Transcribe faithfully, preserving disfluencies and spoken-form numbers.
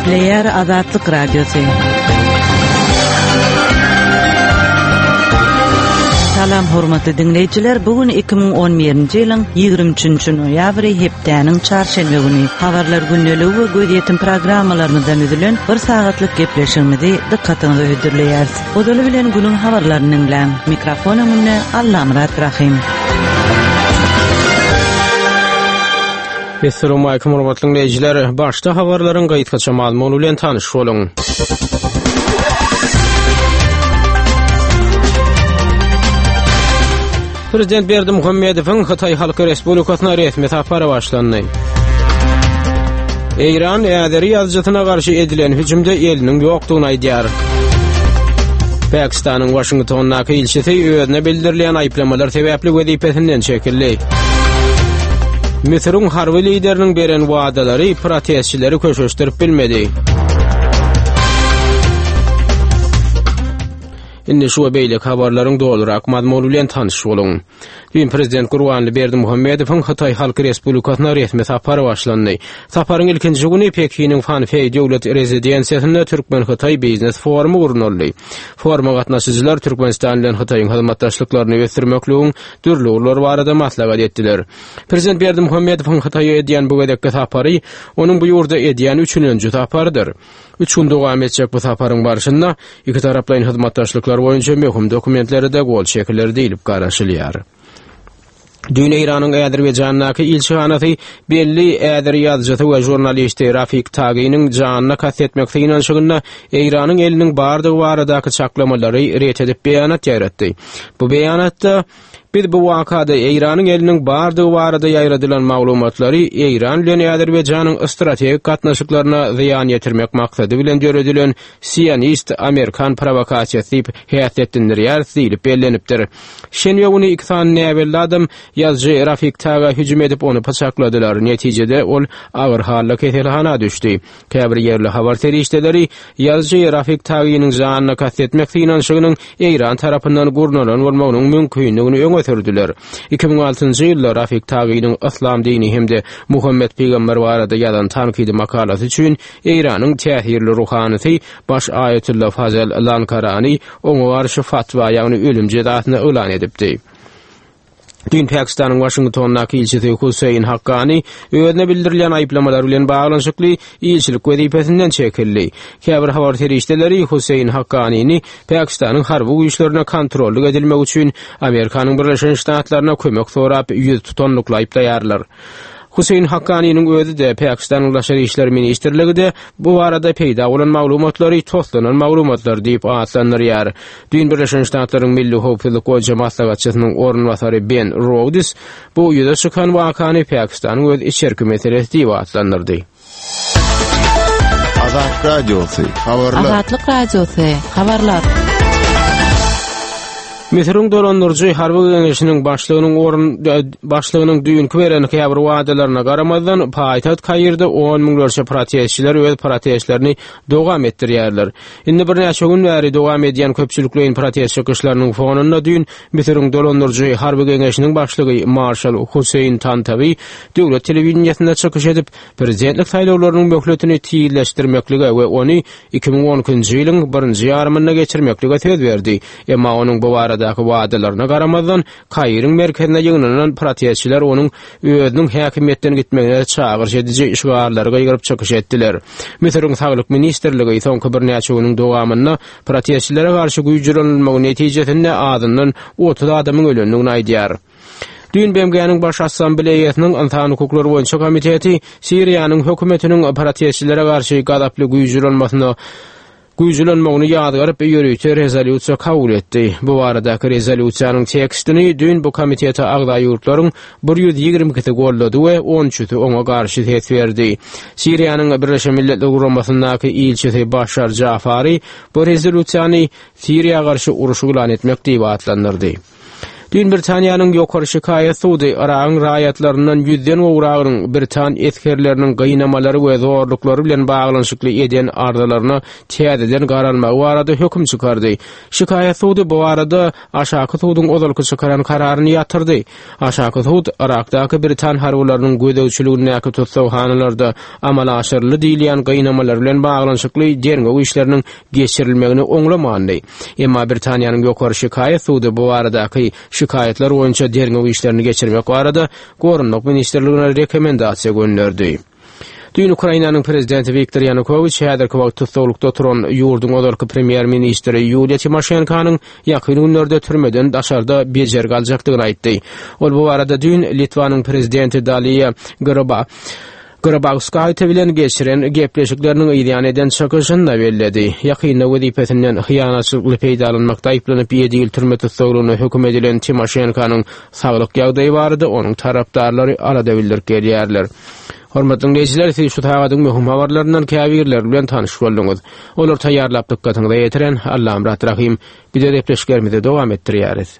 Gepleýär Azatlyk Radiosy. Salam hormatly diňleýjiler, bu gün iki müň on birinji ýylyň ýigrimi üçünji noýabry hepdäniň çarşenbe güni. Habarlar gündeligi we gözýetim programmalarymyzdan üzülen bir sagatlyk gepleşigimizi dykgatyňyza hödürleýäris. Ozaly bilen günüň habarlaryny diňläň. Mikrofon öňünde Allamyrat Rahim. Esselamu aleýkum hormatly dinleýjiler. Başda habarlaryň gysgaça mazmuny bilen tanyş boluň. Prezident Berdimuhamedowyň Hytaý Halk Respublikasyna resmi sapary başlandy. Eýran Äzeri ýazyjysyna garşy edilen hüjümde eliniň ýokdugyny aýdýar. Pakistanyň Washingtondaky ilçisi özüne bildirilýän aýyplamalar sebäpli wezipesinden çekildi. Müsüriň harby lideriniň beren wadalary protestçileri köşeşdirip bilmedi. Indi şu we beýleki habarlaryň dolurak mazmuny bilen tanyş boluň. Düýn Prezident Gurbanguly Berdimuhamedowyň Hytaý Halk Respublikasyna resmi sapary başlandy. Saparyň ilkinji güni Pekiniň Fanfeý döwlet rezidensiýasynda Türkmen-Hytaý biznes forumy gurnaldy. Foruma gatnaşyjylar Türkmenistan bilen Hytaýyň hyzmatdaşlyklaryny ösdürmekligiň dürli ugurlary barada maslahat etdiler. Prezident Berdimuhamedowyň Hytaýa edýän bu gezekki sapary onuň bu ýurda edýän üçünji saparydyr. Üç gün dowam etjek bu saparyň barşynda iki taraplaýyn hyzmatdaşlyklar boýunça möhüm dokumentlere de gol çekiler diýlip garaşylýar. Düýn Eýranyň Azerbaýjandaky ilçihanasy belli Äzeri ýazyjysy we žurnalisti Rafik Taginiň janyna kast etmek synanyşygynda Eýranyň eliniň bardygy baradaky çaklamalary ret edip beýanat ýaýratdy. Bu beýanatda biz bu wakada Eýranyň eliniň bardygy barada ýaýradylan maglumatlary Eýran bilen Azerbaýjanyň strategik gatnaşyklaryna zyýan ýetirmek maksady bilen döredilen sionist Amerikan provokasiýasy diýip häsiýetlendirýär diýlip bellenipdir. Şenbe güni iki sany näbelli adam ýazyjy Rafik Taga hüjüm edip ony pyçakladylar. Netijede ol agyr halda keselhana düşdi. Käbir ýerli habar serişdeleri ýazyjy Rafik Taginiň janyna kast etmek synanyşygynyň Eýran tarapyndan gurnalan bolmagynyň mümkinligini öňe sürdüler. Iki müň altynjy ýylda Rafik Taginiň Yslam dini hem-de Muhammed Peygamber barada ýazan tankydy makalasy üçin Eýranyň täsirli ruhanysy baş Aýatullah Fazel Lankarani oňa garşy fatwa, ýagny ölüm jezasyny yglan edipdi. Düýn Pakistanyň Washingtondaky ilçisi Hüseýin Hakkani özüne bildirilýän aýyplamalar bilen baglanyşykly ilçilik wezipesinden çekildi. Käbir habar serişdeleri Hüseýin Hakkanini Pakistanyň harby güýçlerine kontrollyk edilmek üçin Amerikanyň Birleşen Ştatlaryna kömek sorap ýüz tutanlykla aýyplaýarlar. Hüseýin Hakkaniniň özi-de Pakistanyň Daşary İşler Ministrligi-de bu barada peýda bolan maglumatlary toslanan maglumatlar diýip atlandyrýar. Düýn Birleşen Ştatlaryň Milli Howpsuzlyk boýunça maslahatçysynyň orunbasary Ben Rhodes bu ýüze çykan wakany Pakistanyň öz içerki meselesi diýip atlandyrdy. Azat Radiosy, habarlar. Azatlyk Radiosy, habarlar. Müsüriň dolandyryjy harby geňeşiniň başlygynyň orun başlygynyň düýnki beren käbir wadalaryna garamazdan paýtagt Kairde on müňlerçe protestçiler öz protestlerini dowam etdirýärler. Indi birnäçe gün bäri dowam edýän köpçülikleýin protest çykyşlarynyň fonunda düýn Müsüriň dolandyryjy harby geňeşiniň başlygy Marşal Hüseýin Tantawi döwlet telewideniýesinde çykyş edip, prezidentlik saýlawlarynyň möhletini tizleşdirmeklige we ony iki müň on ikinji ýylyň birinji ýarymynda geçirmeklige söz berdi. Emma onuň bu baradaky wadalaryna garamazdan Kairiň merkezine ýygnanan protestçiler onuň özüniň häkimiýetden gitmegine çagyryş ediji şygarlary gygyryp çykyş etdiler. Müsüriň Saglyk Ministrligi soňky birnäçe günüň dowamynda protestçilere garşy güýçlenilmegi netijesinde azyndan otuz adamyň ölendigini aýdýar. Düýn B M G-niň Baş Assambleýasynyň Ynsan Hukuklary boýunça komiteti Siriýanyň hökümetiniň protestçilere garşy gazaply güýçlenmesine güýçlenmegini ýazgaryp ýörite rezolýusiýa kabul etdi. Bu baradaky rezolýusiýanyň tekstini düýn bu komitete agza ýurtlaryň bir ýüz ýigrimi ikisi gollady we on üçüsi oňa garşy ses berdi. Siriýanyň Birleşen Milletler Guramasyndaky ilçisi Başar Jafari bu rezolýusiýany Siriýa garşy uruş yglan etmek diýip atlandyrdy. Düýn Britaniýanyň ýokary şikaýat sudy Yragyň raýatlaryndan ýüzden gowragynyň Britan esgerleriniň gynamalary we zorluklary bilen baglanyşykly eden arzalaryna täzeden garalmagy barada höküm çykardy. Şikaýat sudy bu barada aşaky suduň ozalky çykaran kararyny ýatyrdy. Aşaky sud Yrakdaky Britan harbylarynyň gözegçiligindäki tutsaghanalarda amala aşyryldy diýilýän gynamalar bilen baglanyşykly derňew işleriniň geçirilmegini oňlamandy. Emma Britaniýanyň ýokary şikaýat sudy bu baradaky şikaýatlar boýunça derňew işlerini geçirmek barada Goranmak ministrligine rekomendasiýa gönderdi. Düýn Ukrainanyň prezidenti Wiktor Ýanukowiç häzirki wagt tussaglykda oturan ýurduň ozalky premýer-ministri Ýuliýa Timoşenkonyň ýakyn günlerde türmeden daşarda bejergi aljakdygyny aýtdy. Ol bu barada düýn Litwanyň prezidenti Daliýa Graba Grabauskaýte bilen geçiren gepleşikleriniň yzýan eden çykyşynda belledi. Ýakynda wezipesinden hyýanatçylykly peýdalanmakda aýyplanyp ýedi ýyl türme tussaglygyna höküm edilen Timoşenkonyň saglyk ýagdaýy barada onuň tarapdarlary alada bildirip gelýärler. Hormatly dinleýjiler, siz şu sagadyň möhüm habarlaryndan käbirleri bilen tanyş bolduňyz. Olar taýýarlap dykgatyňyza ýetiren Allamyrat Rahym. Bize gepleşiklerimizi dowam etdirýäris.